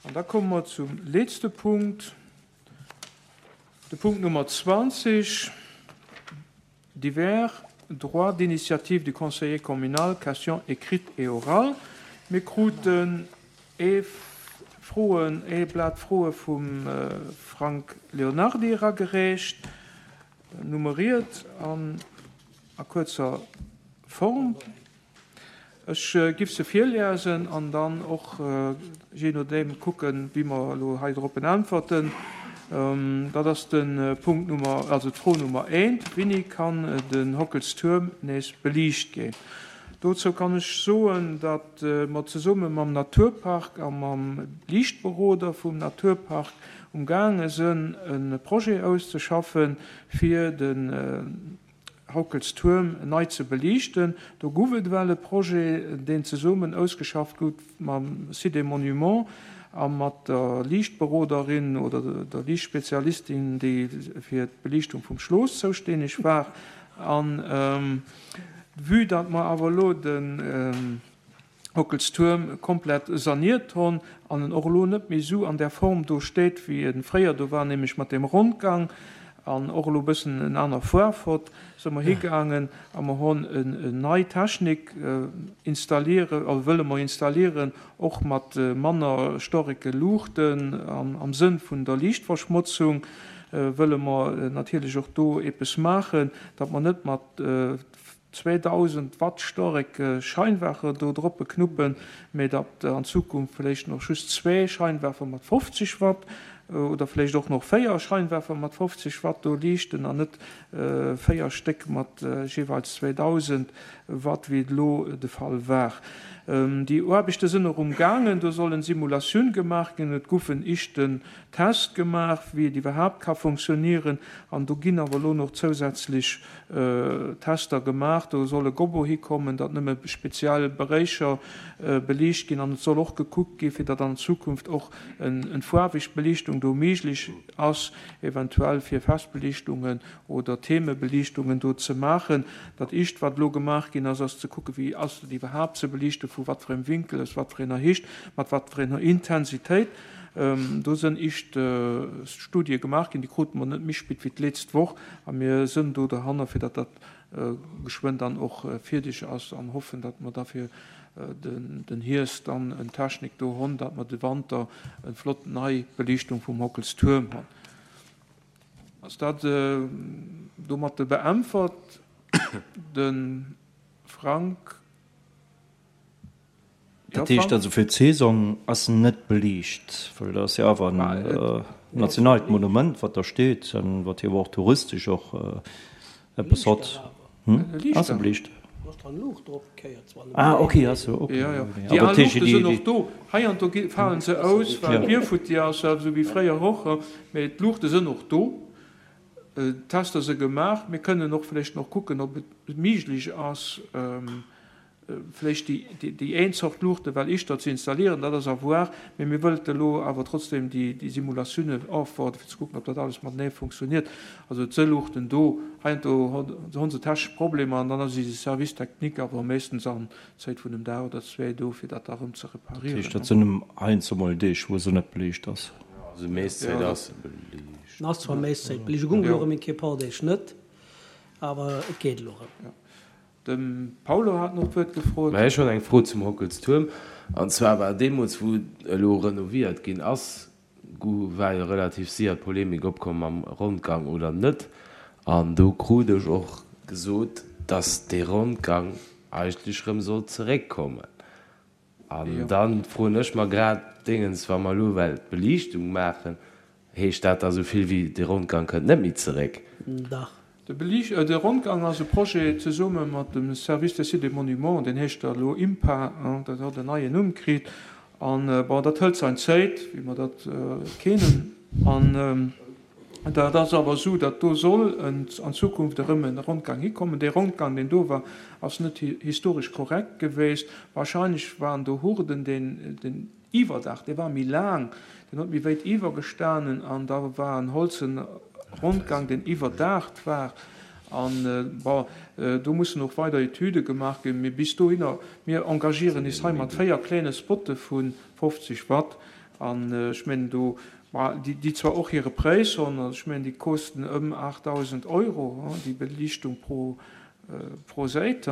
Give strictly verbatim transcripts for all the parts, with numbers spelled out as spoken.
An da komme mer zum letzte Punkt, de Punkt Nummer zwanzeg, divers, droit d'initiative du conseiller communal, questions écrites et orales. Mir kruten ee Froen, ee Blat Froe vum Frank Leonardi eragereecht, nummeriert an a kuerzer Form. Ech giff se virliesen an dann och jee nodeem kucken, wéi mer elo hei drop äntwerten. Dat ass de Punkt Nummer, also d'Fro Nummer eent, Wéini kann den Hockelstuerm nees beliicht ginn? Dozou kann ech soen, datt mer zesumme mam Naturpark a mam Liichtberoder vum Naturpark umgaange sënn, e Projet auszeschaffen, fir den Hockelstuerm nei ze beliichten. Do gouf et well e Projet, deen zesummen ausgeschafft gouf mam Site des Monuments a mat der Liichtberoderin oder der Liichtspezialistin, déi fir d'Beliichtung vum Schlooss zoustänneg war. An vue datt mer awer elo den Hockelstuerm komplett saniert hunn an en och elo net méi esou an där Form do steet, wéi e fréier do war, nämlech mat deem Rondgang an och elo e bëssen en aner Faarf hott, si mer higaangen a mer hunn en nei Technik installieren, also wëlle mer installieren, och mat manner storreke Luuchten an am Sënn vun der Liichtverschmotzung wëlle mer natierlech och do eppes maachen, datt mer net mat zweedausend Watt storreke Scheinwerfer do droppe knuppen, mee datt an Zukunft vläicht nach just zwee Scheinwerfer mat fofzeg Watt oder vläicht och nach véier Scheinwerfer mat fofzeg Watt do liichten an net véier Stéck mat jeeweils zweedausend Watt, wéi et elo de Fall war. Déi Aarbechte sinn och umgaangen. Do sollen Simulatioun gemaach ginn. Et gouf en éischten Test gemaach, wéi et iwwerhaapt ka funktionieren. An do ginn awer elo nach zousätzlech Tester gemaach. Do soll e Gobo hikommen, datt nëmme speziell Beréicher beliicht ginn. An et soll och gekuckt ginn, fir datt an Zukunft och en faarweg Beliichtung do méiglech ass, eventuell fir Festbeliichtungen oder Themebeliichtungen do ze maachen. Dat Éischt, wat elo gemaach ginn ass, ass ze kucken, wéi ass et iwwerhaapt ze beliichten, vu wat fir engem Winkel, aus wat fir enger Héicht, mat wat fir enger Intensitéit. Do sënn éischt Studie gemaach ginn, déi krute mer net méi spit wéi d'letzt Woch, a mir sënn do dohanner, fir datt dat geschwënn dann och fierdeg ass, an hoffen, datt mer da fir den Hierscht dann en Technik do hunn, datt mer de Wanter eng flott nei Beliichtung vum Hockelstuerm hunn. Ass dat domat beäntwert? De Frank? Dat heescht also, fir d'Saison ass en net beliicht, well dat ass jo awer en nationaalt Monument, wat da steet an wat jo och touristesch och eppes hott. Ass e beliicht? Ah, okay, ass jo, okay. Jo, jo, déi al Luuchte sinn och do. Hei an do falen se aus, well d'Bier futti ass, esou wéi fréier och. Mee d'Luuchte sinn och do. D'Tester si gemaach. Mir kënnen och vläicht nach kucken, ob et méiglech ass, vläicht déi een Zort Luuchte well éischter ze installieren. Dat ass à voir. Mee mir wëllte elo awer trotzdem déi Simulatiounen ofwaarden, fir ze kucken, ob dat alles matenee funktioniert. Also et si Luuchten do. Heiansdo hu se technesch Problemer an dann ass eise Service technique awer meeschtens an Zäit vun engem Dag oder zwee do, fir dat da erëm ze Dat heescht, dat sinn heiansdo mol Deeg, wou se net beliicht ass. Also meescht Zäit ass se beliicht. En ass zwar meescht Zäit beliicht, e gung elo erëm eng Kéier e paar Deeg net, awer et geet elo erëm. De Paulo hat nach d'Wuert gefrot. Mä ech hunn eng Fro zum Hockelstuerm. An zwar war deemools, wou elo renoviert ginn ass, war jo relativ séier d'Polemik opkomm mam Rondgang oder net. An do krut ech och gesot, datt dee Rondgang eigentlech erëm sollt zeréckkommen. An da froen ech mer grad, Déngens, wa mer elo well d'Beliichtung maachen, heescht dat da sou vill wéi, de Rondgang kënnt net méi zeréck? Dach. De Rondgang ass e Projet zesumme mat dem Service des Sites et Monuments, deen heescht da elo IMPA, dat huet en neien Numm kritt. An, bon, dat hëlt sein Zéit, wéi mer dat kennen. An dat ass awer esou, datt do soll an Zukunft erëm e Rondgang hikommen. Dee Rondgang, deen do war, ass net historesch korrekt geweest. Wahrscheinlech waren do Hurden, deen den Iwwerdaach, dee war méi laang, deen huet méi wéit iwwergestanen an da war en holzen Rondgang, deen iwwerdaacht war. An, bon, do mussen och weider Etüde gemaach ginn. Mee bis dohinner, mir engagieren is hei mat véier kléine Spotte vu fofzeg Watt An ech mengen do, ma déi, déi zwar och hire Präis hunn, also ech mengen déi kosten ëm aachtdausend Euro, déi Beliichtung pro, pro Säit.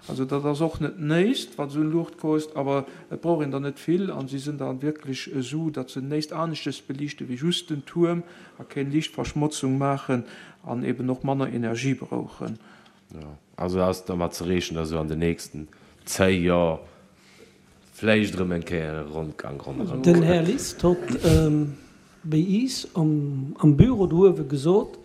Also dat ass och net näischt, wat esou eng Luucht kost, awer et brauch een der net vill a si sinn da wierklech esou, datt se näischt aneschtes beliichte wéi just den Tuerm a keng Liichtverschmotzung maachen an eben och manner Energie brauchen. Jo, also ass dermat ze reechnen, datt esou an den nächsten zéi Joer vläicht erëm eng Kéier e Rondgang ronderëm Den Här kënnt. List hott béi iis am Büro do uewe gesot,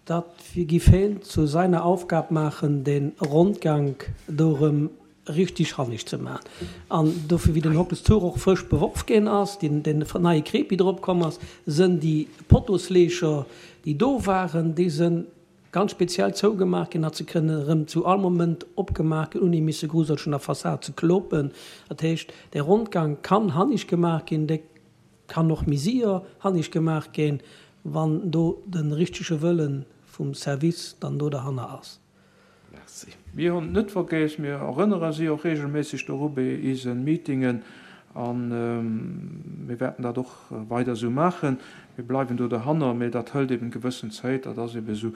dat giff heen zu seiner Aufgab maachen, de Rondgank do erëm richtig hannig ze maachen. An dofir, wéi den Hockels Tour och frësch beworf ginn ass, deen neie Krepi drop komm ass, sënn déi Pottosleecher, déi do waren, déi sënn ganz speziell zougemaach ginn, datt se kënnen erëm zu all Moment opgemaach ginn, ouni misse gruselch un der Fassad ze klopen. Dat heescht, dee Rondgang kann hannig gemaach ginn, dee kann och méi sier hannig gemaach ginn, wann do de richtege Wëlle vum Service dann do derhanner ass. Merci. Mir hunn et net vergéss, mir erënnere si och regelméisseg doru bei eise Meetingen a mir wäerten dat och weider esou maachen. Mir bleiwen do derhanner, mä dat hëlt eben gewëssen Zäit, dat ass eben esou.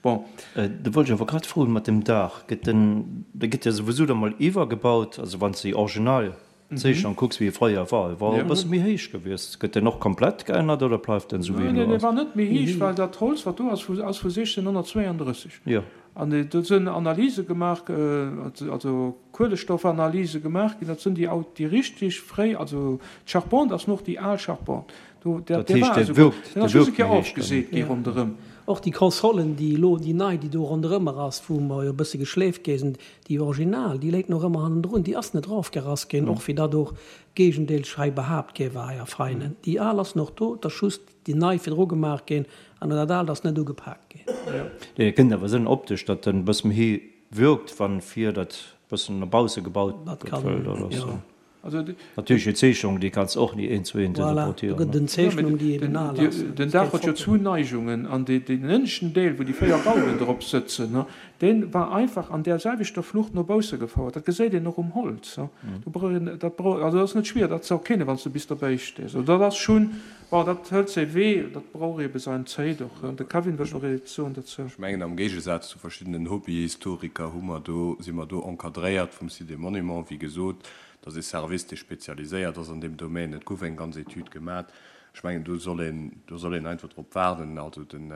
Bon. Do wollt ech awer grad froen, mat dem Daach, gëtt den, dee gëtt jo souwisou da mol iwwergebaut, also wann s de déi original Zeechnung kucks, wéi e fréier war, e war e bësse méi héich gewiescht. Gëtt deen och komplett geännert oder bleift den esou wéi en elo ass? Neen, dee war net méi héich, well dat Holz, wat do ass, ass vu siechzehnhonnertzweianddrësseg. Jo. An do sinn Analyse gemaach, also Kuelestoffanalyse gemaach ginn, dat sinn déi, déi richteg fréi, also d'Charpente ass nach déi al Charpente. Do, Dat der heescht, war dee esouguer, wirkt, den dee ass just wirkt eng Kéier méi héich dann. ofgeseet gi Ja. ronderëm. Och déi Consolen, déi elo, déi nei, déi do ronderëmmer ass, wou mer jo e bësse geschleeft gi sinn, déi original, déi léit nach ëmmer hannendrun, déi ass net erofgerass ginn, och wéi dat och géigendeelsch hei behaapt gi war hei a Veinen. Déi al ass nach do, et ass just déi nei virdru gemaach ginn an dat aalt ass net ugepaakt ginn. Nee, et kënnt awer sënn optesch, datt en e bësse méi héi wirkt, wann vir dat bëssen no bausse gebaut Dat gëtt, kann, well dat ass jo. Also de, natierlech déi Zeechnung, déi kanns och ni eent zu eent Voilà, do interpretéieren, gëtt et ne? en jo, mee Zeechnung, déi eben den, al die, ass. den Dat Daach géif huet jo foppen. zwou Neigungen an dee, deen ënneschten Deel, wou déi véier Gauben drop sëtzen, ne, deen war einfach an där selwechter Flucht no bausse gefouert. Dat geséit een och um Holz, ne. Do brauch een, dat brauch, also dat ass net schwier, dat ze erkennen, wann s de bis derbäi stees. Also dat ass schonn, bon, dat hëlt säi Wee, dat brauch eebe säin Zäit och. De Kevin wëllt nach eppes soen dozou. Ech mengen, am Géigesaz zu verschiddenen Hobbyhistoriker hu mer do, si mer do encadréiert vum Site des Monuments, wéi gesot. Dat ass ee Service, dee spezialiséiert ass an deem Domaine. Et gouf eng ganz Etüd gemat. Ech mengen, do soll een, do soll een einfach drop waarden. Also den,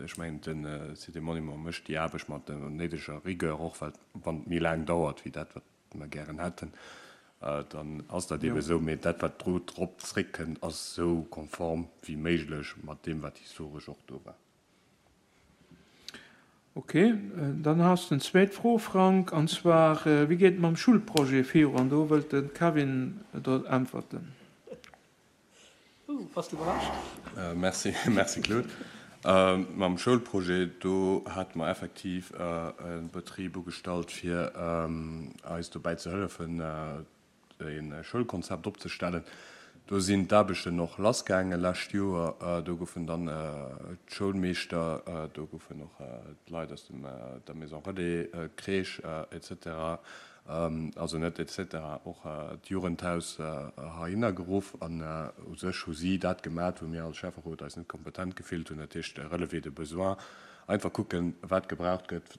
ech mengen, de Site des Monuments mécht déi Aarbecht mat der néideger Rigueur, och well, wann et méi laang dauert wéi dat, wat mer gären hätten, dann ass dat eebe esou. Mee dat, wat do drop zréckkënnt, ass esou konform wéi méiglech mat deem, wat historesch och do war. Ok, dann has de en zweet Fro, Frank, an zwar, Wéi geet et mam Schulprojet viru? An do wëllt de Kevin der äntwerten. Ouh, bass de iwwerrascht? Merci, merci Claude. Mam Schoulprojet, do hate mer effektiv e Betrib ugestallt, fir eis dobäi ze hëllefen, e Schoulkonzept opzestellen. Do sinn d'Aarbechten och lassgaange lescht Joer. Do goufen dann d'Schoulmeeschter, do goufen och d'Leit aus der Maison Relais, d'Crèche et cetera, also net et cetera, och d'Jugendhaus heihinner geruff. An u sech hu si dat gemat, wou mir als Schäfferot eis net kompetent gefillt hunn, dat heescht Relevé de besoins, Einfach kucken, wat gebraucht gëtt,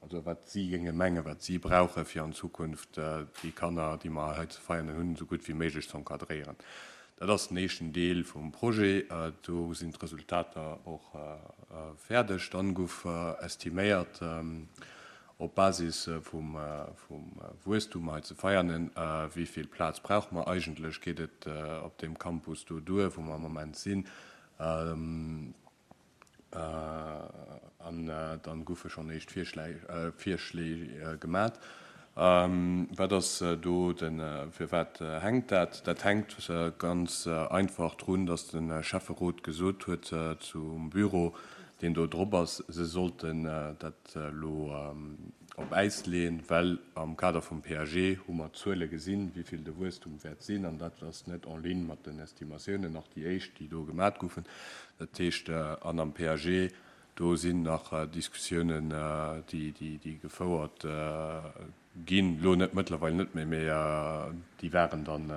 also wat si géinge mengen, wat si brauchen, fir an Zukunft déi Kanner, déi mer hei ze feieren hunn, esou gutt wéi méiglech ze encadréieren. Dat ass den éischten Deel vum Projet. Do sinn d'Resultater och fäerdeg. Dann gouf estiméiert, op Basis vum Wuesstum hei ze Veianen, wéi vill Plaz brauche mer eigentlech, geet et op deem Campus do duer, wou mer am Moment sinn. An dann goufe schonn éischt Virschléi gemat. Wat ass do de, firwat hänkt dat? Dat hänkt ganz einfach drun, datt de Schäfferot gesot huet zum Büro, deen do drop ass, se sollten dat elo op Äis leeën, well am Kader vum P A G hu mer d'Zuele gesinn, wéi vill de Wuesstum wäert sinn, an dat ass net en ligne mat den Estimatiounen, nach déi éischt, déi do gemat goufen. Dat heescht, an am P A G, do sinn nach Diskussiounen, déi gefouert ginn, elo net, mëttlerweil net méi, mee déi waren dann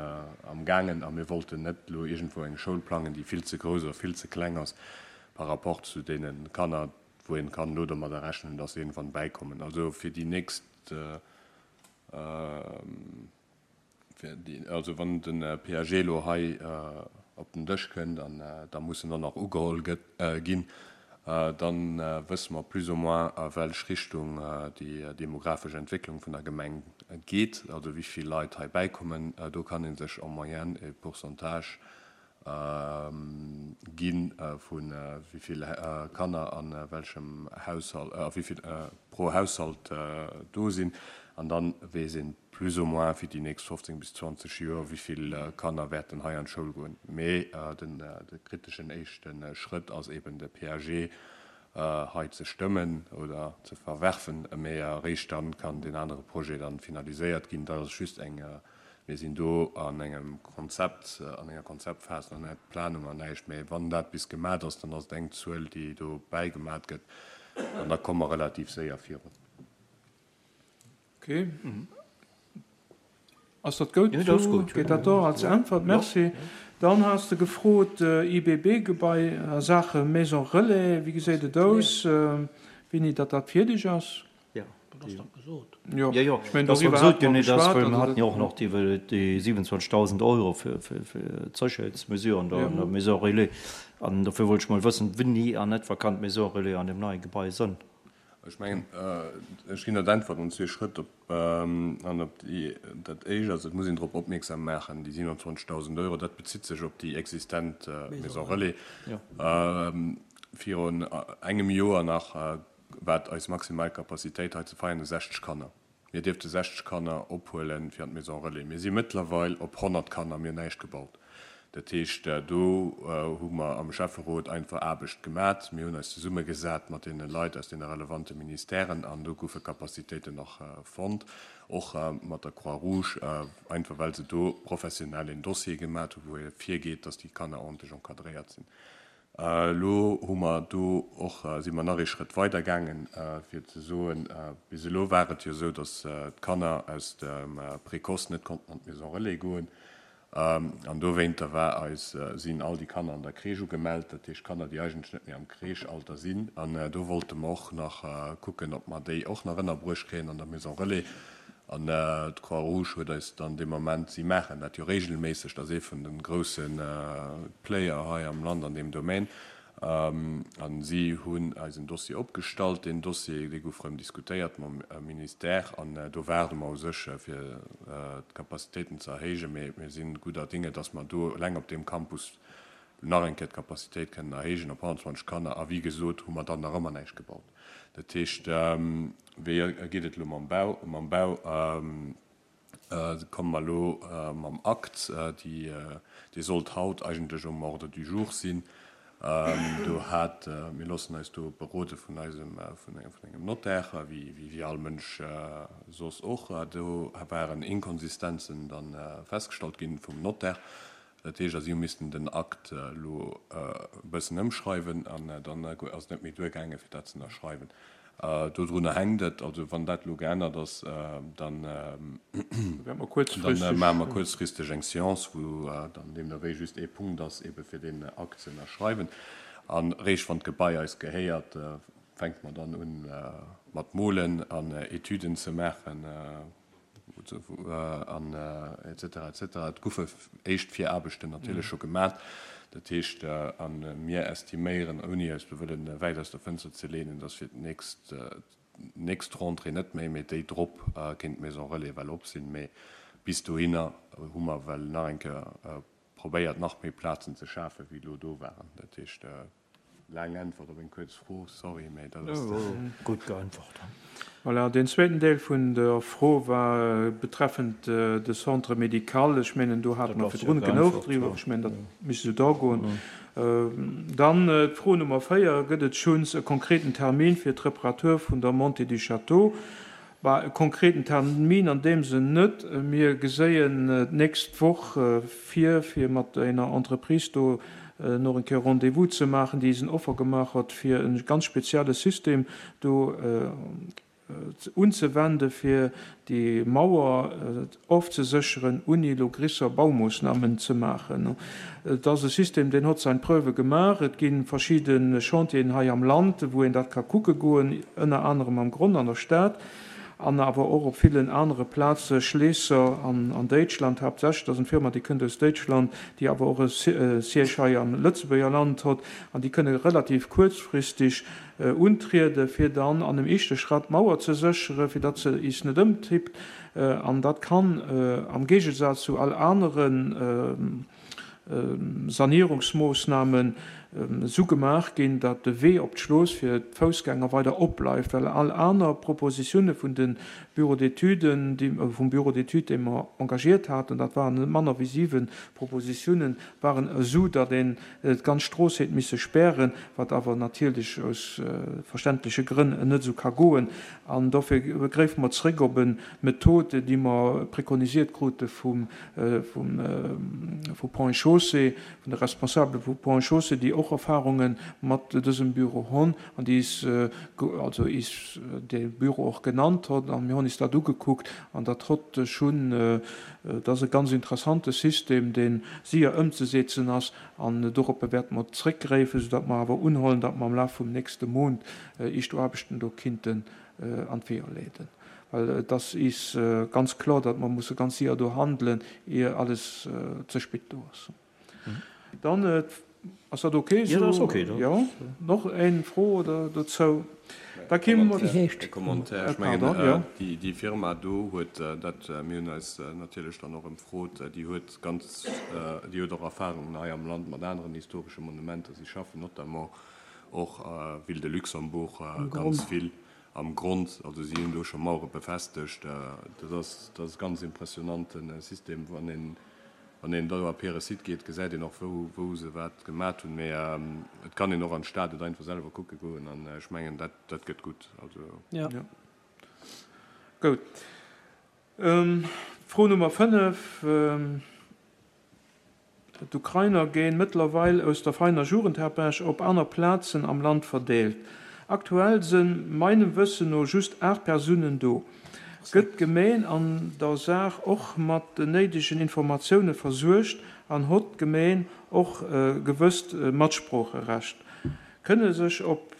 am gaangen a mir wollten net elo iergendwou eng Schoul plangen, déi vill ze grouss oder vill ze kleng ass par rapport zu deene Kanner, wou een kann elo domadder rechnen, dass se iergendwann bäikommen. Also fir déi nächst, fir déi, also wann de P A G elo hei op den Dësch kënnt an da muss en och nach ugeholl gëtt, ginn, dann wësse mer plus ou moins, a welch Richtung déi demografesch Entwécklung vun der Gemeng geet, also wéi vill Leit hei bäikommen. Do kann ee sech en moyenne e Pourcentage gi vu wéi vill Kanner a welchem Haushalt, a wéi vill pro Haushalt do sinn. An dann weess een plus ou moins fir déi nächst fofzéng bis zwanzeg Joer, wéi vill Kanner wäerten hei an d'Schoul goen. Mee de kriteschen éischte Schrëtt ass eben de P A G hei ze stëmmen oder ze verwerfen. Mee eréischt dann kann deen anere Projet dann finaliséiert ginn. Dat ass just eng, mir sinn do an engem Konzept, an enger Konzeptphas, nach net Planung an näischt. Mee wann dat bis gemat ass, dann ass et eng Zuel, déi do bäigemat gëtt an da komme mer relativ séier virun. Okay. Ass dat goud? Jo, dat ass goud. Geet dat do als Äntwert? Merci. Dann has de gefrot, I B B-Gebai a Saache Maison Relais, wéi geséit et aus, wéini datt dat fierdeg ass? Jo. Dat ass dach gesot. Jo, Jo, jo, ech mengen, dat ass doriwwer gesot hate mer ginn, dat ass, geschwat. well mer Also haten jo och nach déi, déi siwenundzwanzegdausend Euro fir, fir, fir d'Sécherheetsmesuren do Ja. an der Maison Relais. An dofir wollt ech mol wëssen, wéini an etwa kann d'Maison Relais an dem neie Gebai sënn? Ech mengen, ech ginn der d'Äntwert an zwee Schrëtt op. An op déi, dat éischt ass, et muss een drop opmierksam maachen, déi siwenundzwanzegdausend Euro, dat bezitt sech op déi existent Maison Relais. Jo. Virun engem Joer nach war eis maximal Capacitéit hei zu Veianen sechzeg Kanner. Mir dierfte sechzeg Kanner ophuelen fir an d'Maison Relais. Mir si mëttlerweil op honnert Kanner, mir hunn näischt gebaut. Dat heescht, do hu mer am Schäfferot einfach Aarbecht gemat. Mir hunn eis zesummegesat mat deene Leit aus deene relevante Ministèren an do goufe Capacitéiten nach fonnt, och mat der Croix-Rouge, einfach well se do professionell een Dossier gemat hu wou ee virgeet, datt déi Kanner ordentlech encadréiert sinn. Elo hu mer do och, si mer nach ee Schrëtt weider gaangen, fir ze soen, bis elo war et jo esou, datt d'Kanner aus dem Précoce net konnten an d'Maison Relais goen. An dowéinter war eis, sinn all déi Kanner an der Crèche ugemellt, dat heescht Kanner, déi eigentlech net méi am Crèche-Alter sinn. An do wollte mer och nach kucken, ob mer déi och nach ënnerbruecht kréien an der Maison Relais. An d'Croix-Rouge huet eis dann dee Moment, si maachen dat jo regelméisseg, dat ass ee vun de grousse Player hei am Land an deem Domaine, a si hunn eis en Dossier opgestallt. Deen Dossier, dee gouf erëm diskutéiert mam Ministère an do waarde mer u sech, fir d'Capacitéiten ze erhéijen. Mee mir si gudder Dinge, dass mer do eleng op deem Campus nach eng Kéier d'Capacitéit kënnen erhéijen op honnertzwanzeg Kanner. A wéi gesot, hu mer dann nach ëmmer näischt gebaut. Dat heescht, wéi geet et elo mam Bau? Mam Bau komme mer elo mam Akt, dee sollt haut eigentlech um Ordre du jour sinn. Do hat, mir loossen eis do berode vun eisem, vun engem Notaire, wéi wéi all Mënsch soss och. Do waren Inkonsistenzen dann festgestallt ginn vum Notaire. Dat heescht, si hu missten den Akt elo e bëssen ëmschreiwen an dann ass et net méi duergaange fir dat ze ënnerschreiwen. Dodrunner hänkt et. Also wann dat elo geännert ass, dann maache mer kuerzfristeg eng Séance, wou dann deemno wéi just ee Punkt ass, ebe fir deen Akt ze ënnerschreiwen. An eréischt wann d'Gebai eis gehéiert, fänke mer dann un mat molen an Etüden ze maachen an et cetera, et cetera. Et goufe éischt Viraarbechten natierlech scho gemat. Dat heescht, a mir estiméieren, ouni eis do wëllen wäit aus der Fënster ze leenen, dass fir d'nächst, d'nächst Rentrée net méi, mee déi drop kéint d'Maison Relais well op sinn. Mee bis dohinner hu mer well nach eng Kéier probéiert, nach méi Plazen ze schafen, wéi elo do waren. Dat heescht, laang Äntwert op eng kuerz Fro, sorry, mee dat ass. Gutt geäntwert. Voilà, deen zweeten Deel vun der Fro war betreffend de Centre médical. Ech mengen, do hate mer virdrun genuch driwwer. Ech mengen, dat misst esou da goen. Dann d'Fro Nummer véier, Gëtt et schonns e konkreten Termin fir d'Reparatur vun der Montée du Château? Bah, e konkreten Termin an deem Sënn net. Mir geséien d'nächst Woch vir, fir mat enger Entreprise do nach eng Kéier Rendez-vous ze maachen, déi eis en Offer gemaach huet, fir e ganz spezielle System do unzewende fir déi Mauer ofzesécheren, ouni elo grisser Baumoossnamen ze maachen. Et ass e System, deen hott sein Preuve gemaach. Et gi verschidde Chantieren hei am Land, wou een dat ka kucke goen, ënner anerem am Gronn an der Stad an awer och op villen anere Plaze, Schleesser an an Déitschland haaptsächlech. Dat ass eng Firma, déi kënnt aus Déitschland, déi awer och e Siège hei am Lëtzebuerger Land hott an déi kënne relativ kuerzfristeg untriede fir dann an em éischte Schratt d'Mauer ze séchere fir datt se is net ëmtippt. An dat kann am Géigesaz zu all anere Sanierungsmoossnamen esou gemaach ginn, datt de Wee op d'Schlooss fir d'Foussgänger weider opbleift, well all aner Propositioune vun de Bureaux d'études, vum Bureau d'études, dee mer engagiert haten, dat waren net manner wéi siwe Propositiounen, waren esou, datt een d'ganz Strooss hätt misse spären, wat awer natierlech aus verständleche Grënn net esou ka goen. An dofir gréife mer zréck op e Method, déi mer prekonisiert krute vum vu Ponts et Chaussées, vun de Responsabele vu Ponts et Chaussées, déi och Erfahrunge mat dësem Büro honn an déi is, also is dee Büro och genannt hott. An mir honn is dat ugekuckt an dat hott schunn, dat ass e ganz interessante System, dee sier ëmzesetzen ass an doroppe wäerte mer zréckgréifen, soudatt mer awer unhollen, datt mer am Laf vum nächste Mount éischt Aarbechten do kinnten an d'Weeër leeden. Well et ass is ganz kloer, datt mer musse ganz sier do handelen, ier alles ze spit do ass. Dann, ass dat ok Jo, dat ass esou? ok. Dat Jo. ass. Noch eng Fro oder dozou? Da ki mer. Wéi heescht? E Commentaire, ech mengen, Pardon, jo. déi, déi Firma do huet dat, mir hunn eis natierlech dann och ëmfrot, déi huet ganz, déi huet och Erfahrungen hei am Land mat aneren historesche Monumenter. Si schaffen notamment och Ville de Luxembourg Am ganz Gronn. vill am Grond. Also si hunn do scho Mauere befestegt. Dat ass, dat ass e ganz impressionante System. Wann een, wann een do op hire Site geet, gesäit een och, wou, wou se wat gemat hunn. Mee et kann een och an d'Stad et einfach selwer kucke goen. An ech mengen, dat, dat gëtt gutt. Also. Ja. Ja. Gout. Fro Nummer fënnef. D'Ukrainer géing mëttlerweil aus der Veiner Jugendherberg op aner Plazen am Land verdeelt. Aktuell sënn meinem Wëssen no just aacht Persounen do. Gëtt d'Gemeen an der Saach och mat den néidegen Informatioune versuergt an hott d'Gemeen och e gewësst Matsproocherecht? Kënne sech op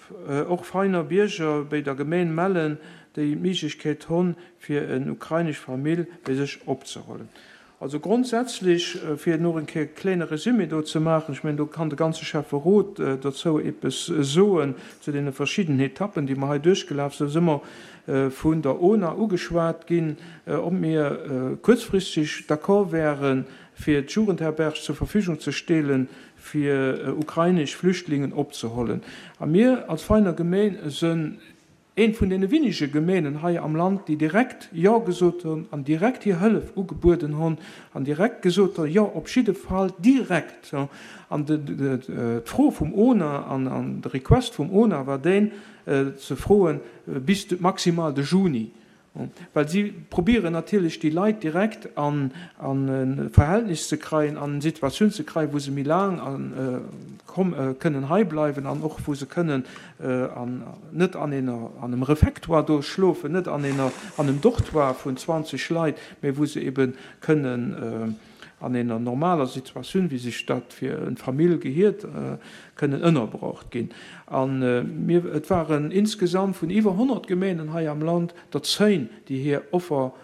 och Veiner Bierger béi der Gemeen mellen, déi d'Méiglechkeet honn, fir en ukrainesch Famill béi sech opzehollen? Also grondsätzlech, fir nach en Kéier kléine Resumé do ze maachen, ech mengen, do kann de ganze Schäfferot dozou eppes soen, zu deene verschiddenen Etappen, déi mer hei duerchgelaf sinn, si mer vun der ONA ugeschwat ginn, ob mir kuerzfristeg d'accord wären, fir d'Jugendherberg zur Verfügung ze stellen, fir ukrainesch Flüchtlingen opzehollen. A mir als Veiner Gemeen sënn Eent vun deene winnege Gemeenen hei am Land, déi direkt Jo gesot hunn an direkt hir Hëllef ugebueden hunn an direkt gesot hunn, Jo, op jidde Fall direkt. An d'Fro vum ONA an de Request vum ONA war deen, ze froen bis maximal de Juni. Well si probieren natierlech déi Leit direkt an e Verhältnis ze kreien, an eng Situatioun ze kreien, wou se méi laang kënnen hei bleiwen an och wou se kënnen net an engem Refectoire do schlofen, net an engem Dortoir vun zwanzeg Leit, mä wou se ebe kënnen an enger normaler Situatioun, wéi sech dat fir eng Famill gehiert, kënnen ënnerbrocht ginn. A mir, et waren insgesamt vun iwwer honnert Gemeenen hei am Land der zéin, déi hir Offer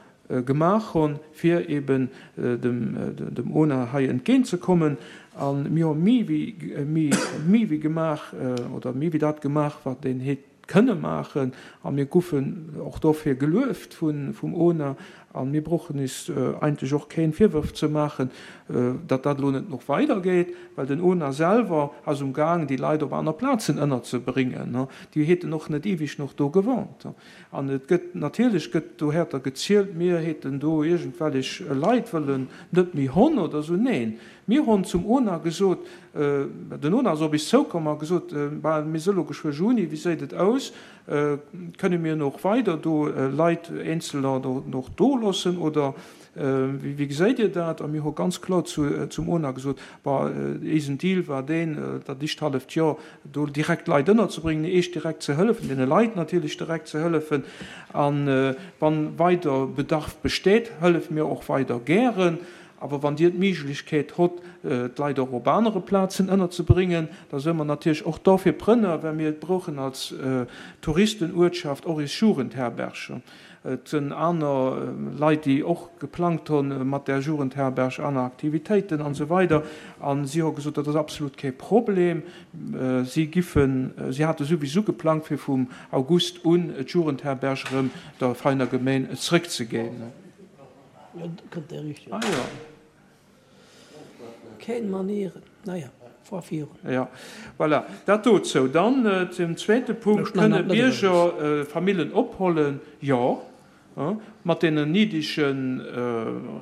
gemaach hunn, fir eben dem, dem ONA hei entgéintzekommen. A mir hu méi wéi, méi, méi wéi gemaach, oder méi wéi dat gemaach, wat een hätt kënne maachen, a mir goufen och dofir gelueft vum ONA, a mir brauchen is eigentlech och keen Virwërf ze maachen, datt dat elo net nach weidergeet, well den ONA selwer ass um Gaang, déi Leit op aner Plazen ënnerzebréngen. Déi hätten och net eweg nach do gewohnt. An et gëtt, natierlech gëtt dohärter gezielt, mir hätten do iergendwellech Leit wëllen net méi honn oder esou. Neen, mir honn zum ONA gesot, den ONA ass op is zoukomm a gesot, Bah, mir si lo geschwë Juni, wéi séit et aus, kënne mir noch weider do Leit, Eenzeler do noch do loossen oder wéi geséit Dir dat? A mir hu ganz kloer zu, zum ONA gesot, Bah, eisen Deal war deen, dat éischt halleft Joer do direkt Leit ënnerzebréngen, Iech direkt ze hëllefen, deene Leit natierlech direkt ze hëllefen. A wann weider Bedarf besteet, hëllefe mir och weider gären. Awer wann Dir d'Méiglechkeet hott, d'Leit och op anere Plazen ënnerzebréngen, da së mer natierlech och dofir prënner, well mir brauchen als Touristenuertschaft och is Jugendherberge. Et sënn aner Leit, déi och geplangt honn mat där Jugendherberg, aner Aktivitéiten an esou weider. A si hu gesot, dat ass absolut kee Problem. Si giffen, si hate souwisou geplangt, fir vum August un d'Jugendherberg erëm der Veiner Gemeen zrëckzeginn. Ah jo. Keen Manieren, naja, fuer virun. Jo, voilà, dat dozou. Dann zum zweete Punkt, Kënne Bierger Famillen ophollen? Jo, mat deenen niddege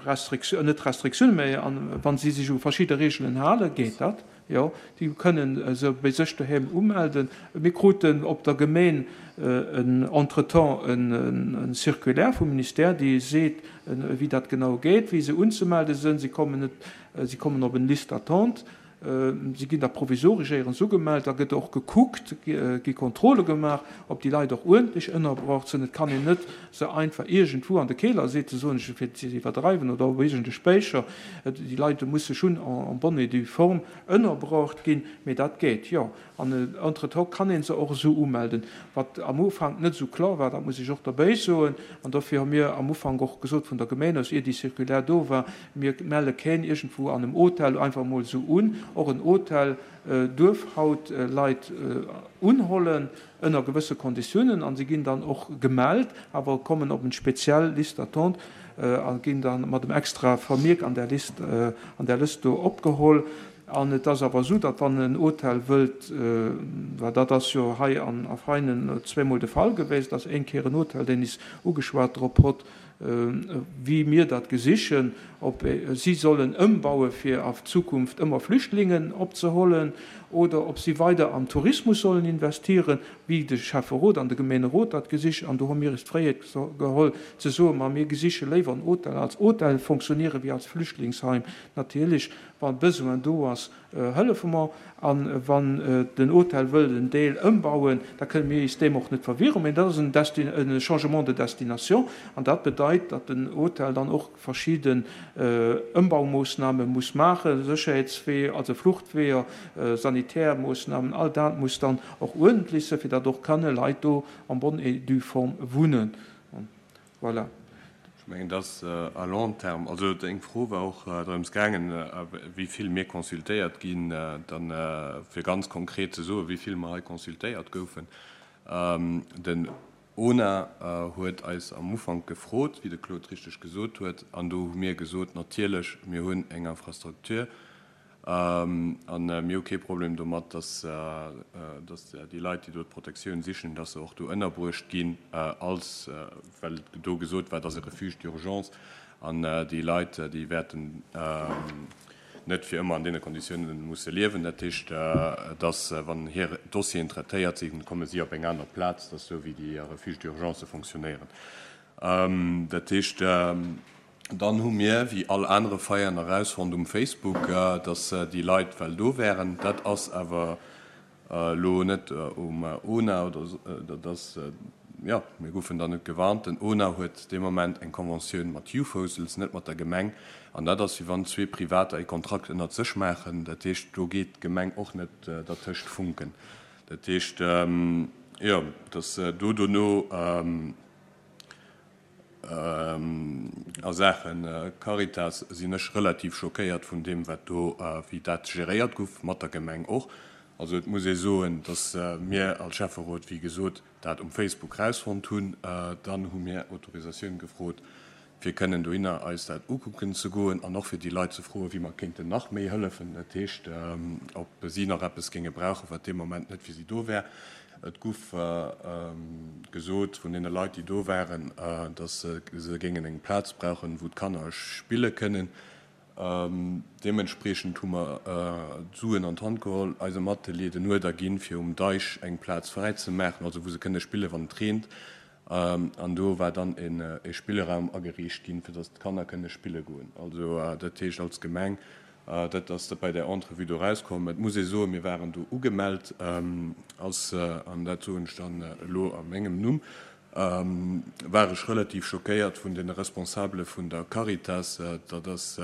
Restriktiounen, net Restriktiounen, mä wa si sech u verschidde Reegelen halen, geet dat. Jo, déi kënnen se bei sech doheem umelden. Mir kruten op der Gemeen entretemps e Circulaire vum Ministère, dee seet, wéi dat genau geet, wéi se unzemelde sënn. Si kommen net, si kommen op en Liste d'attente. Si ginn da provisoresch éierens ugemellt. Da gëtt och gekuckt, gi Kontrolle gemaach, ob déi Leit och uerdentlech ënnerbruecht sinn. Et kann een net se einfach iergendwou an de Keler setzen, soen ech, fir et ze iwwerdreiwen, oder op iergend e Spéicher. Déi Leit musse schonn en bonne et due forme ënnerbruecht ginn. Mee dat geet, jo. An entretemps kann ee se och esou umelden, wat am Ufank net esou kloer war, dat muss ech och derbäi soen. An dofir hu mir am Ufank och gesot vun der Gemeen aus, ier déi Circulaire do war, mir melle keen iergendwou an engem Hotel einfach emol esou un. Och en Hotel duerf haut Leit unhollen ënner gewësse Konditiounen a si ginn dann och gemellt, awer kommen op en speziell Liste d'attente a ginn dann mat em extra Vermierk an där List, an där Lëscht do opgeholl. An et ass awer esou, datt wann en Hotel wëllt, well dat ass jo hei an a Veinen zweemol de Fall gewiescht, datt eng Kéier en Hotel, deen is ugeschwat drop hott, wéi mir dat gesichen, ob si sollen ëmbaue fir a Zukunft ëmmer Flüchtlingen opzehollen oder ob si weider am Tourismus sollen investieren, wéi de Schäfferot an de Gemeenerot dat gesich. An do hu mir is d'Fräiheet geholl ze soen, ma mir gesiche léiwer en Hotel als Hotel fonctionniere wéi als Flüchtlingsheim. Natierlech, wa Besoin do ass, hëllefe mer. A wann den Hotel wëllt en Deel ëmbauen, da kënne mir is deem och net verwieren. Mä dat ass en Desti-, e Changement de destination. An dat bedeit, datt den Hotel dann och verschidden Ëmbaumoossname muss maachen, Sécherheetsweeër, also Fluchtweeër, Sanitärmoossnamen, all dat muss dann och uerdentlech sinn, fir datt och kënne Leit do en bonne et due forme wunnen. Voilà. Ech mengen, dass à long terme, also eng Fro war och drëms gaangen, wéi vill mir consultéiert ginn, dann fir ganz konkret ze soen, wéi vill mer hei consultéiert goufen. Den ONA huet eis am Ufank gefrot, wéi de Claude richteg gesot huet, an do hu mir gesot, natierlech, mir hunn eng Infrastruktur a mir hu kee Problem domat, dass déi Leit, déi do d'Protektioun sichen, dass se och do ënnerbruecht ginn, als, well do gesot war, et ass e Refuge d'urgence an déi Leit, déi wäerten net fir ëmmer an deene Konditiounen musse liewen. Dat heescht, dass, wann hir Dossieren traitéiert sinn, komme si op eng aner Plaz. Dat ass esou, wéi déi Refuges d'urgence fonctionnéieren. Dat heescht, dann hu mir, wéi all anere Veräin, erausfonnt um Facebook, dass déi Leit well do wären. Dat ass awer elo net um ONA oder dat ass, jo, mir goufen dann net gewarnt. Den ONA huet dee Moment eng Conventioun mat Youth Hostels, net mat der Gemeng. An dat ass, wéi wann zwee Privater ee Kontrakt ënnert sech maachen. Dat heescht, do geet d'Gemeng och net dertëscht funken. Dat heescht, jo, dass do dono a Saache Caritas sinn ech relativ schockéiert vun deem, wat do, wéi dat geréiert gouf, mat der Gemeng och. Also et muss ee soen, dass mir als Schäfferot, wéi gesot, dat um Facebook rausfonnt hunn. Dann hu mir Autorisatioun gefrot, fir kënnen dohinner eis dat ukucken ze goen an och fir déi Leit ze froen, wéi mer kéinten nach méi hëllefen. Dat heescht, ob si nach eppes géinge brauchen, wat dee Moment net fir si do wär. Et guff gesot vun deene Leit, déi do waren, dass se géingen eng Plaz brauchen, wou d'Kanner spille kënnen. Deementspriechend hu mer d'Suen an d'Hand geholl, eisem Atelier den Uerder ginn, fir um Deich eng Plaz fräi ze maachen, also wou se kënne spillen, wann et reent. An do war dann e Spillraum ageriicht ginn, fir datt d'Kanner kënne spille goen. Also dat heescht als Gemeng, dat ass bei där Entrevue do erauskomm. Et muss ee soen, mir waren do ugemellt als, an dat soen ech dann elo a mengem Numm, war ech relativ schockéiert vun de Responsabele vun der Caritas, datt ass,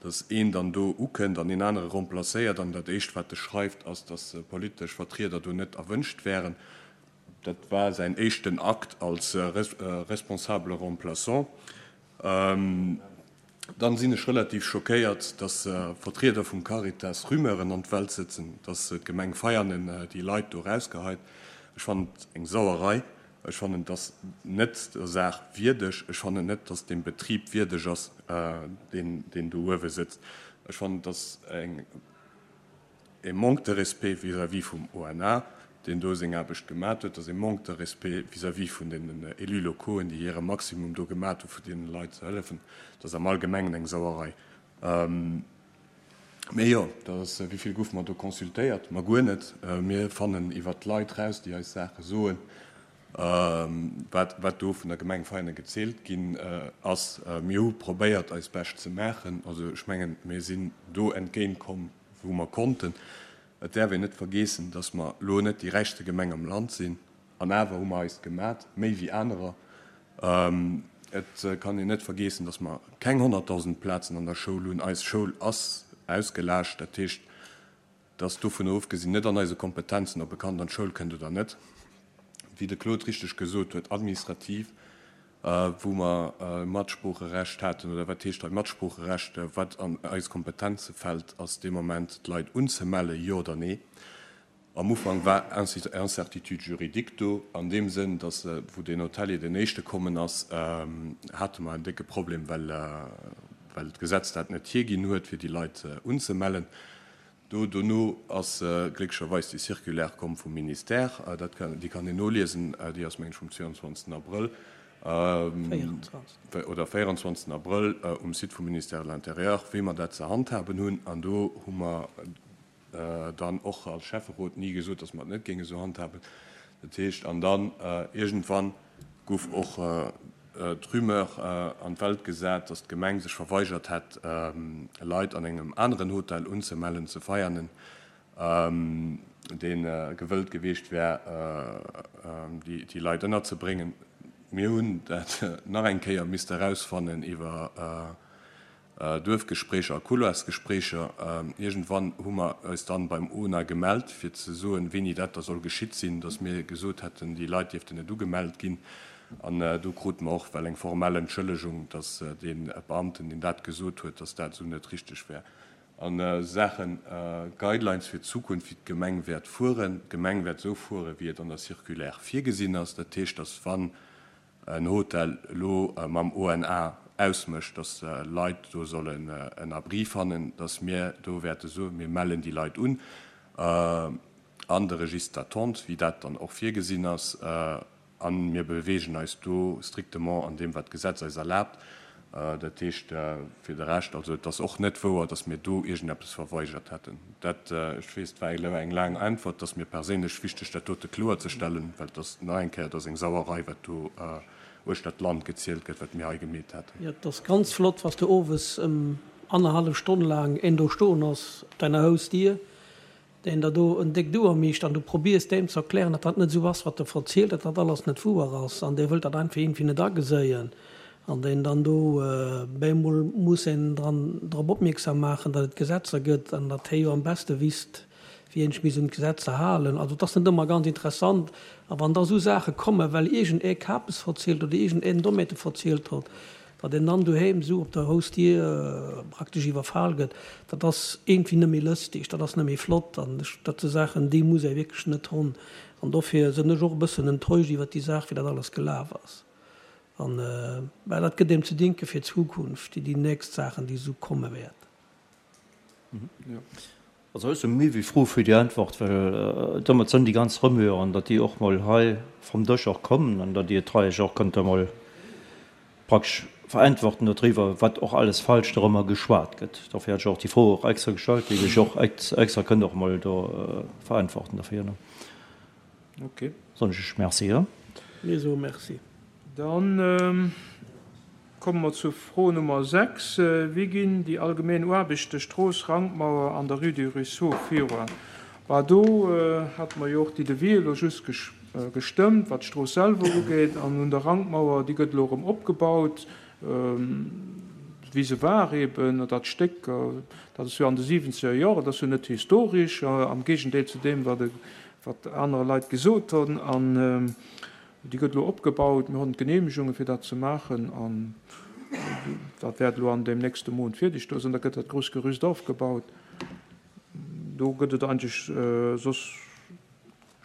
datt een dann do ukënnt an een anere remplacéiert an dat Éischt, wat e schreift, ass, datt politesch Vertrieder do net erwënscht wären. Dat war säin éischten Akt als responsabele Remplaçant. Dann sinn ech relativ schockéiert, datt Vertrieder vum Caritas Rumeuren an d'Welt sëtzen, datt d'Gemeng Veianen déi Leit do erausgeheit. Ech fannen et eng Sauerei. Ech fannen, et ass net der Saach wierdeg. Ech fannen net, datt dem Betrib wierdeg ass, deen do uewe sëtzt. Ech fannen, et ass eng e Manque de respect vis-à-vis vum O N A, deen do seng Aarbecht gemat huet. Et ass e Manque de respect vis-à-vis vun den Élus locauxen, déi hire Maximum do gemat hu fir deene Leit ze hëllefen. Et ass am Allgemengen eng Sauerei. Mee jo, dat ass, wéi vill goufe mer do consultéiert? Ma guer net. Mir fannen iwwert d'Leit raus, déi eis Saache soen, wat, wat do vun der Gemeng Veianen gezielt ginn ass. Mir hu probéiert, eis Bescht ze maachen. Also ech mengen, mir sinn do entgéintkomm, wou mer konnten. Et däerf een net vergeessen, datt mer elo net déi räichste Gemeng am Land sinn. An awer hu mer eis gemat, méi wéi anerer. Et kann een net vergeessen, datt mer keng honnertdausend Plazen an der Schoul hunn. Eis Schoul ass ausgelaascht. Dat heescht, datt dovun ofgesinn net an eise Kompetenzen, ob e Kand an d'Schoul kënnt oder net. Wéi de Claude richteg gesot huet, administrativ, wou mer Matsproocherecht haten, oder wat heescht hei Matsproocherecht, wat an eis Kompetenze fält, ass dee Moment d'Leit unzemellen, jo oder nee. Am Ufank war Incertitude juridique do, an deem Sënn, datt, wou den Hotelier den éischte kommen ass, hate mer en décke Problem, well, well d'Gesetz dat net hierginn huet, fir déi Leit unzemellen. Do dono ass glécklecherweis déi Circulaire komm vum Ministère, dat kann, déi kann een noliesen, déi ass, meng ech, vum zweiundzwanzigsten Abrëll, oder véierundzwanzigsten Abrëll um Site vum Ministère de l'Intérieur, wéi mer dat ze handhaben hunn. An do hu mer dann och als Schäfferot ni gesot, datt mer et net géinge sou handhaben. Dat heescht, an dann iergendwann gouf och d'Rumeur an d'Welt gesat, datt d'Gemeng sech verweigert hätt, Leit an engem aneren Hotel unzemellen, ze Veianen, dee gewëllt gewiescht wär, déi Leit ënnerzebréngen. Mir hunn dat nach eng Kéier misste erausfannen iwwer Duerfgespréicher a Couloirsgespréicher. Iergendwann hu mer eis dann beim O N A gemellt, fir ze soen, wéini dat da soll geschitt sinn, datt mir gesot hätten, déi Leit dierften net ugemellt ginn. An do krute mer och well eng formell Entschëllegung, datt dee Beamten, deen dat gesot huet, datt dat esou net richteg wär. An Saachen Guidelines fir d'Zukunft, wéi d'Gemeng wäert fueren. D'Gemeng wäert esou fueren, wéi et an der Circulaire virgesinn ass. Dat heescht, datt wann en Hotel elo mam O N A ausmécht, datt Leit do sollen en Abri fannen, datt mir do wäerte soen, mir mellen déi Leit un an de Registre d'attente, wéi dat dann och virgesinn ass. An mir bewegen eis do strictement an deem, wat d'Gesetz eis erlaabt. Dat heescht, fir de Rescht, also et ass och net wouer, datt mir do irgendeppes verweigert hätten. Dat, ech weess, et war elo eng laang Äntwert, datt mir perséinlech wichteg, dat dote kloer ze stellen, well das nach eng Kéier, dat ass eng Sauerei, wat do uechter d'Land gezielt gëtt, wat mir hei gemeet hätten. Ja, dat ass ganz flott, was du owes ëm anderhalb Stonn laang een do stoen ass op deiner Hausdier, deen der do en déck Duer mischt an du probiers deem ze erklären, datt dat net sou ass, wat de verzielt, datt dat alles net wouer ass an dee wëllt dat einfach irgendwie net ageséien an deen dann do bemol muss een dran drop opmierksam maachen, datt et Gesetzer gëtt an datt hie jo am beste wisst, wéi een sech misst un d'Gesetzer halen. Also dat ass net ëmmer ganz interessant. A wann da sou Saache kommen, well iergend ee Kapes verzielt oder iergend een Domäte verzielt huet, datt een dann doheem sou op der Hausdier praktesch iwwerfal gëtt, dat ass irgendwie net méi lëstig, dat ass net méi flott. An ech, dat si Saachen, déi muss ee wierklech net hunn. An dofir sinn ech och e bëssen enttäuscht iwwer déi Saach, wéi dat alles gelaf ass. An, well dat gëtt deem ze denken fir d'Zukunft, déi, déi nächst Saachen, déi sou komme wäert. Mhm. Ja. Also ech si méi wéi froh fir déi Antwort, well domat sinn déi ganz Rumeuren, datt déi och mol hei vom Dësch och kommen an datt Dir d'Reich och kënnt emol praktesch verantworten darüber, wat och alles falsch darüber geschwat gëtt. Dofir hat ech och déi Fro och extra gestallt, déi sech och extra kënnt och mol do verantworten dafür, ne? Okay. Sonst ech merci, ja. Mir soe Merci. Dann komme mer zur Fro Nummer sechs, Wéi ginn déi allgemeen Aarbechte Strooss Rankmauer an der Rue du Ruisseau viruan? Bah, do hate mer jo och déi Devis elo just gestëmmt, wat d'Strooss selwer ugeet. An un der Rankmauer, déi gëtt elo erëm opgebaut, wéi se war eben. Dat Stéck, dat ass jo an de siwenzeger Joren, dat ass jo net historesch, am Géigendeel zu deem, wat wat aner Leit gesot hunn. An déi gëtt elo opgebaut. Mir hunn d'Genehmegunge fir dat ze maachen an dat wäert elo an deem nächste Mount fierdeg do sinn. Da gëtt dat grousst Gerüst aufgebaut. Do gëtt et eigentlech soss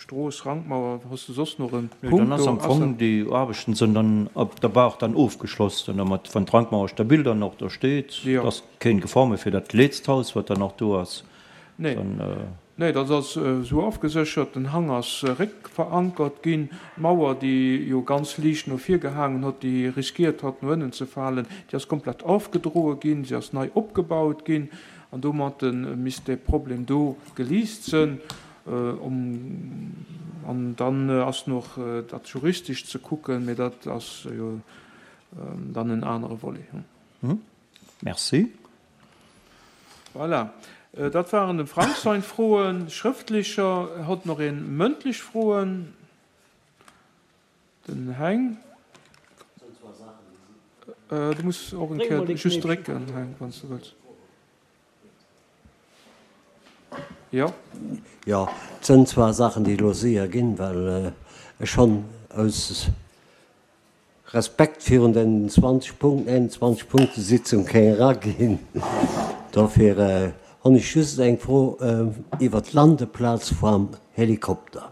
Strooss, Rankmauer, hues de soss nach en Punkt do? Dann ass am Fong déi Aarbechten sinn dann op der Baach dann ofgeschloss, dann domat wann d'Rankmauer stabil dann och do steet, ass keen Gefor méi fir dat letzt Haus wat dann och do ass. Nee. Nee, dat ass esou ofgeséchert. Den Hang ass réckverankert ginn. D'Mauer, déi jo ganz liicht no vir gehaangen huet, déi riskiert hat, no ënnen ze falen, déi ass komplett ofgedroe ginn. Si ass nei opgebaut ginn. An domat misst dee Problem do geliist sënn. An dann ass nach dat juristesch ze kucken, mee dat ass jo dann en anere Volet. Merci. Voilà. Dat waren dem Frank sein Froen, schrëftlecher. Hott nach een mëndlech Froen? Den Heng. Du muss och eng Kéier just drécken, Heng, wann s de wëlls. Jo. Jo, et sënn zwar Saachen, déi elo séier ginn, well ech schonn aus Respekt virun den zwanzeg Punkten, einundzwanzeg Punkte Sitzung kéng eraginn. Dofir honn ech just eng Fro iwwert d'Landeplaz vam Helikopter.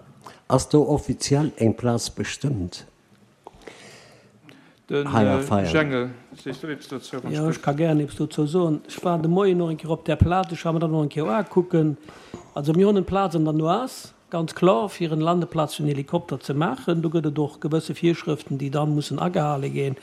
Ass do offiziell eng Plaz bestëmmt Den hei a Veianen? Jengel, sees du eppes dozou, wann Jo, ech ech ka gären eppes dozou soen. Ech war de Moien och eng Kéier op där Plaz, ech war mer dat och eng Kéier uakucken. Also mir hunn en Plaz an der Noise. Ganz kloer, fir en Landeplaz fir en Helikopter ze maachen, do gëtt et och gewësse Virschrëften, déi dann mussen agehale ginn,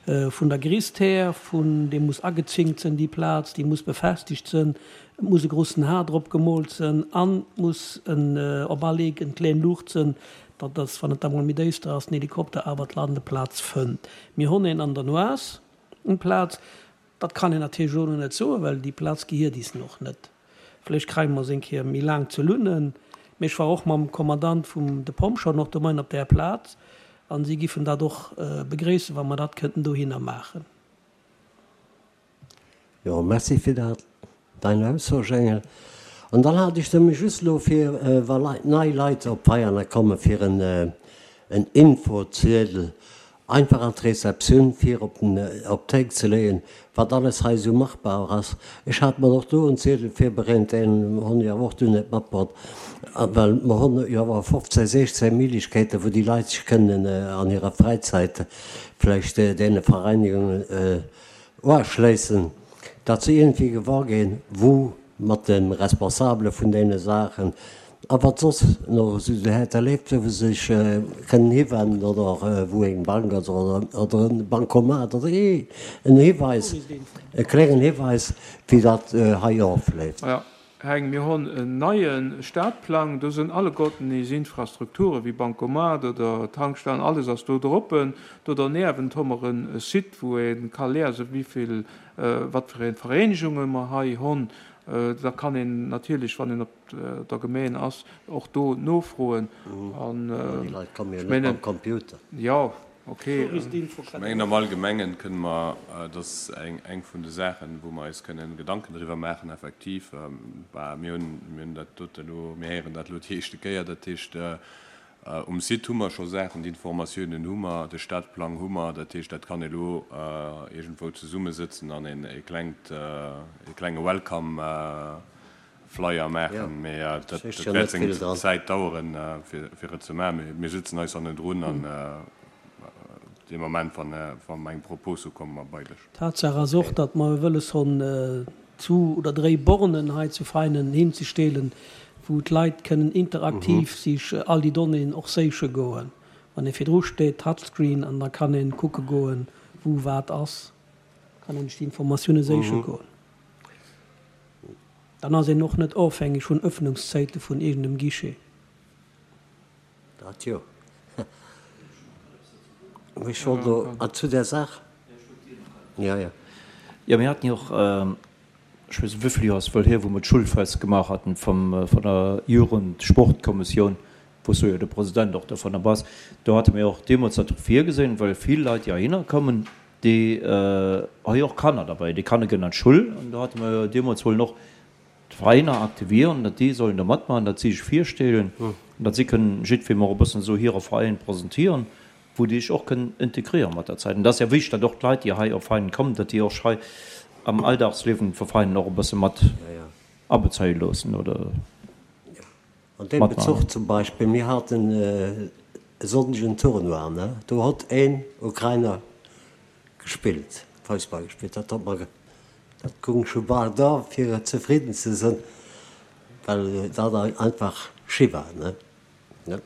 vun der Grisst här, vun, déi muss agezinkt sinn, déi Plaz, déi muss befestigt sinn, et muss e grossen H drop gemoolt sinn an et muss en, op all Eck en kleng Luucht sinn, datt dass, wann et da mol méi déister ass, den Helikopter awer d'Landeplaz fënnt. Mir hunn een an der Noise, eng Plaz, dat kann een natierlech elo nach net soen, well déi Plaz gehiert is och net. Vläicht kréie mer se eng Kéier méi laang ze lunnen. Mee ech war och mam Kommandant vum de Pompjeeën och de Moien op där Plaz an si giffen dat och begréissen, wa mer dat kënnten dohinner maachen. Jo, merci fir dat, dein Ausso, Jengel. An dann hat ech nëmme just elo fir, wa Leit, nei Leit op Veianen kommen, fir en en Infoziedel einfach an d'Receptioun fir op den op d'Théik ze leeën, wat alles hei esou machbar ass. Ech hat mer och do en Ziedel virbereent, deen hunn ech awer och dunn net matbrutt, well mer hunn jo awer fofzéng, sechzéng Méiglechkeeten, wou déi Leit sech kënnen an hirer Fräizäit vläicht deene Vereinigungen uaschléissen, datt se iergendwéi gewor ginn, wou mat de Responsabele vun deene Saachen a wat soss nach esou dohäerter leeft, wou se sech kënnen hiwennen oder wou eng Bank ass oder e Bancomat oder en Hiweis, e klengen Hiweis, wéi dat hei ofleeft. Jo, Heng, mir hunn en neie Stadplang, do sinn alleguerten is Infrastrukture wéi Bancomat oder Tankstellen, alles ass do droppen. Do derniewent hu mer e Site, wou ee ka liesen, wéi vill, wat fir ee Vereenegunge mer hei hunn. Da kann een natierlech, wann een op der Gemeen ass, och do nofroen. An Déi Leit komme jo ech net mam mengen, Computer. jo, okay. Ech mengen, am Allgemengen kënne mer, dat ass eng, eng vun de Saachen, wou mer eis kënnen Gedanken driwwer maachen, effektiv. Bah, mir hunn, mir hunn dat dote elo, mir héieren dat elo déi éischte Kéier. Dat heescht, um Site hu mer scho Saachen, déi Informatiounen hu mer, de Stadplang hu mer. Dat heescht, dat kann ee elo iergendwou zesummesëtzen an een e klengt, e klenge Welcome Flyer maachen. Mee dat wäert seng Zäit daueren, fir et ze maachen. Mee mir sëtzen eis hannendrun an dee Moment, wa mer eng Propos hu, komme mer bei lech. Tatsaach ass och, datt mer wëlles hunn, zwu oder dréi Bornen hei zu Veinen hinzestellen, wou d'Leit kënnen interaktiv sich all déi Donnéeën och séiche goen. Wann ee virdru steet, Touchscreen, an da kann ee kucke goen, wou wat ass, kann een sech déi Informatioune séiche goen. Dann ass een och net ofhängeg vun Öffnungszäite vun iergendem Guichet. Dat jo. Ech wollt elo zu där Saach, jo, jo. Jo, mir haten jo och, ech weess net wéivill Joer ass wuel hier, wou mer d'Schulfest gemaach haten vum, vun der Jugendsportkommissioun, wou s du jo de President och dovunner bass. Do hate mir och deemools dat virgesinn, well vill Leit déi heihinner kommen, déi hu jo och Kanner derbäi, déi Kanner ginn an d'Schull an do hate mer jo deemools wollen och d'Veräiner aktivieren, datt déi sollen do matmaachen, datt si sech virstellen an datt si kënnen jiddwerem och e bëssen esou hire Veräin presentieren, wou déi sech och kënnen integrieren mat der Zäit. An dat ass ja wichteg, datt och d'Leit, déi hei op Veinen kommen, datt déi och sech hei am Alldagsliewen vu Veinen och e bësse mat abezéie loossen oder An deem matmaachen. Bezuch zum Beispill, mir haten e Sonndeg en Tournoi, ne, do hott een Ukrainer gespillt, Foussball gespillt, dat hott mer, dat gung scho bal da fir zefridden ze sënn, well dat einfach schi war, ne. Jo.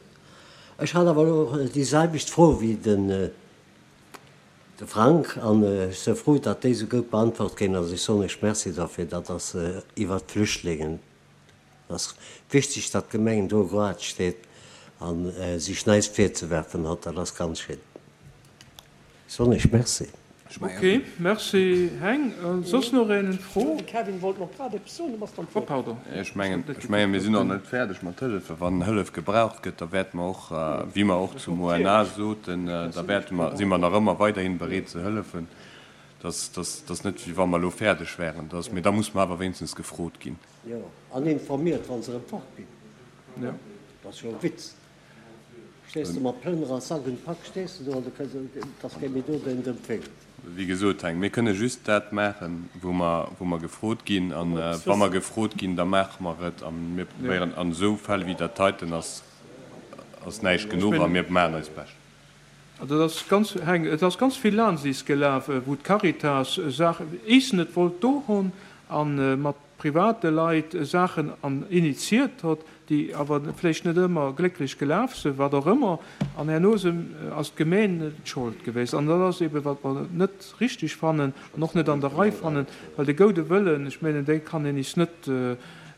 Ech hat awer elo déi selwecht Fro wéi den de Frank an ech sou frou, datt déi sou goud beantwort ginn ass. Ech soen Iech Merci derfir. Dat ass iwwert d'Flüchtlingen. Et ass wichteg, datt d'Gemeng do grad steet a sech näischt virzewerfen hott. Dat ass ganz schéin. Ech soen Iech Merci. Ok, merci Heng. Soss nach een Fro? De Kevin wollt nach grad eppes soen, du bass dann Oh pardon. Ech mengen, ech mengen, mir sinn och net fäerdeg mat Hëllefen. Wann Hëllef gebraucht gëtt, da wäerte mer och, wéi mer och zum O N A soten, da wäerte mer, si mer nach ëmmer weiderhin bereet ze hëllefen. Dass, dass, dass net, wéi wa mer elo fäerdeg wären. Dass, mee da muss mer awer wéinstens gefrot ginn. Jo, an informiert, wa se erëm fort ginn. Dat ass jo e Witz. Stees de mat Plënner a Sak und Pack stees de do an du kënns, et ass kee méi do, deen et empfänkt. Wéi gesot, Heng, mir kënne just dat maachen, wou mer, wou mer gefrot ginn. A wa mer gefrot ginn, da maache mer et. A mir probéieren an esou Fäll wéi dat heiten ass, ass näischt genuch a mir maachen eist Bescht. Also et ass ganz, Heng, et ass ganz vill Laansiis gelaf, wou d'Caritas Saachen, is net wollt do hunn a mat private Leit Saachen an initiiert hott, déi awer vläicht net ëmmer glécklech gelaf sinn, wat och ëmmer, an herno ass d'Gemeen d'Schold gewiescht. An dat ass eben, wat mer net richtig fannen an och net an der Rei fannen, well de goude Wëllen, ech menen, dee kann een is net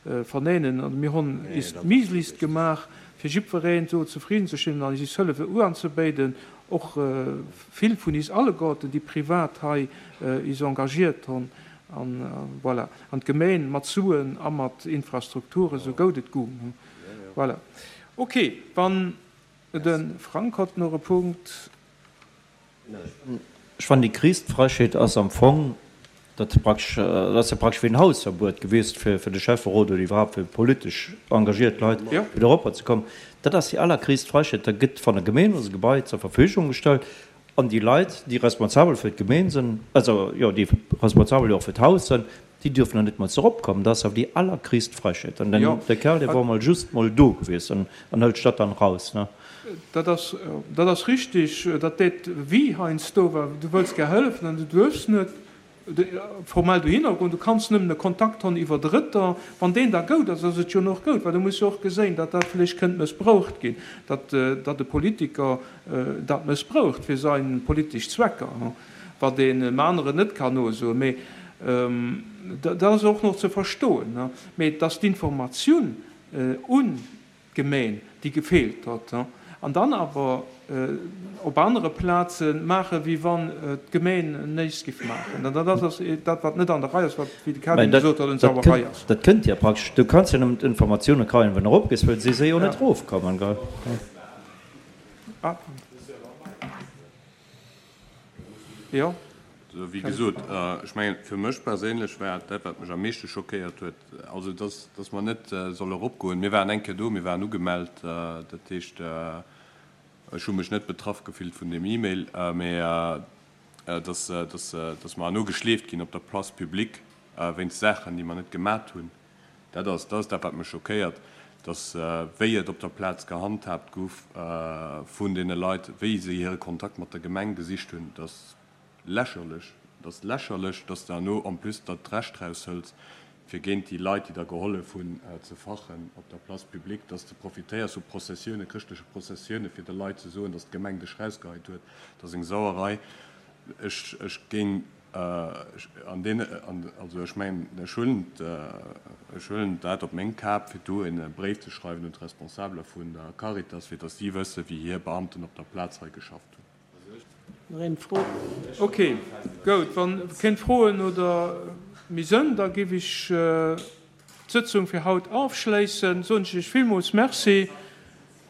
verneinen. An mir hunn is d'Mieslist gemaach, fir jiddwereen do zefridden ze stellen an is Hëllefe uanzebéiden, och vill vun is alleguerten, déi privat hei is engagiert hunn. An voilà. An d'Gemeen mat Suen a mat Infrastrukturen, sou goud et gung. Voilà. Ok, wann de Frank hott nach e Punkt. Ech fannen, déi gréisst Frechheet ass am Fong, datt praktesch, dat ass jo praktesch wéi en Hausverbuet gewiescht fir de Schäfferot oder iwwerhaapt fir politesch engagiert Leit, fir do eropper ze kommen. Dat ass déi allergréisst Frechheet. Da gëtt van der Gemeen ons e Gebai zur Verfügung gestallt an déi Leit, déi responsabel fir d'Gemeen sinn, also jo, déi responsabel jo och fir d'Haus sinn, déi dürfen dann net mol eropkommen. Dat ass awer déi allergréisst Frechheet. An den, de Kerl, dee wor mol just mol do gewiescht an an hëlt d'Stadt dann raus, ne? Dat ass, dat ass richtig, dat deet wéi heiansdo, well du wëlls gär hëllefen an du duerfs net formell dohinner goen, du kanns nëmmen e Kontakt honn iwwer Drëtter. Wann deen da goud ass, ass et jo nach goud, well du muss jo och geséin, datt dat vläicht kënnt mëssbraucht ginn, datt datt e Politiker dat mëssbraucht fir sein politesch Zwecker, wat een em aneren net kann nosoen. Mee dat ass och nach ze verstoen. Mee et ass d'Informatioun un d'Gemeen, déi gefeelt huet, an dann awer op anere Plaze maachen, wéi wann d'Gemeen näischt géif maachen. An dat ass dat, wat net an der Rei ass, wat, wéi de Mä Kevin dat, gesot huet, eng dat Sauerei kënnt, ass. dat kënnt jo praktesch, du kanns jo nëmmen d'Informatioune kréien, wann erop gees, well si se jo net erofkommen, gell? Ah. Jo. Also, wéi gesot, ech mengen, fir mech perséinlech war dat, wat mech am meeschte schockéiert huet, also dass, dass mer net solle eropgoen. Mir waren eng Kéier do, mir waren ugemellt, dat heescht, ech hu mech net betraff gefillt vun deem E-Mail, mä dass, dass, dass mer herno geschleeft ginn op der Place publique wéinst Saachen, déi mer net gemat hunn, dat ass, dat ass dat, wat mech schockéiert, dass, wéi et op der Plaz gehandhaabt gouf vun deene Leit, wéi se hire Kontakt mat der Gemeng gesicht hunn, dass lächerlech, et ass lächerlech, dass de herno en plus der d'Recht raushëls, fir géint déi Leit, déi der gehollef hunn, ze fachen op der Place publique, dass de profitéiers vu Prozessiounen, chrëschtleche Prozessiounen, fir de Leit ze soen, dass d'Gemeng dech rausgeheit huet. Dat ass eng Sauerei. Ech, ech géing an deen, also ech mengen, ech huelen, ech huelen dat op meng Kap, fir do e Bréif ze schreiwen un d'Responsabeler vun der Caritas, fir dass si wëssen, wéi hir Beamten op der Plaz hei geschafft hunn. Nach eng Fro? Ok, goud. Wann keng Froen oder méi sënn, da giff ech d'Sëtzung fir haut ofschléissen. Soen ech iech villmools Merci.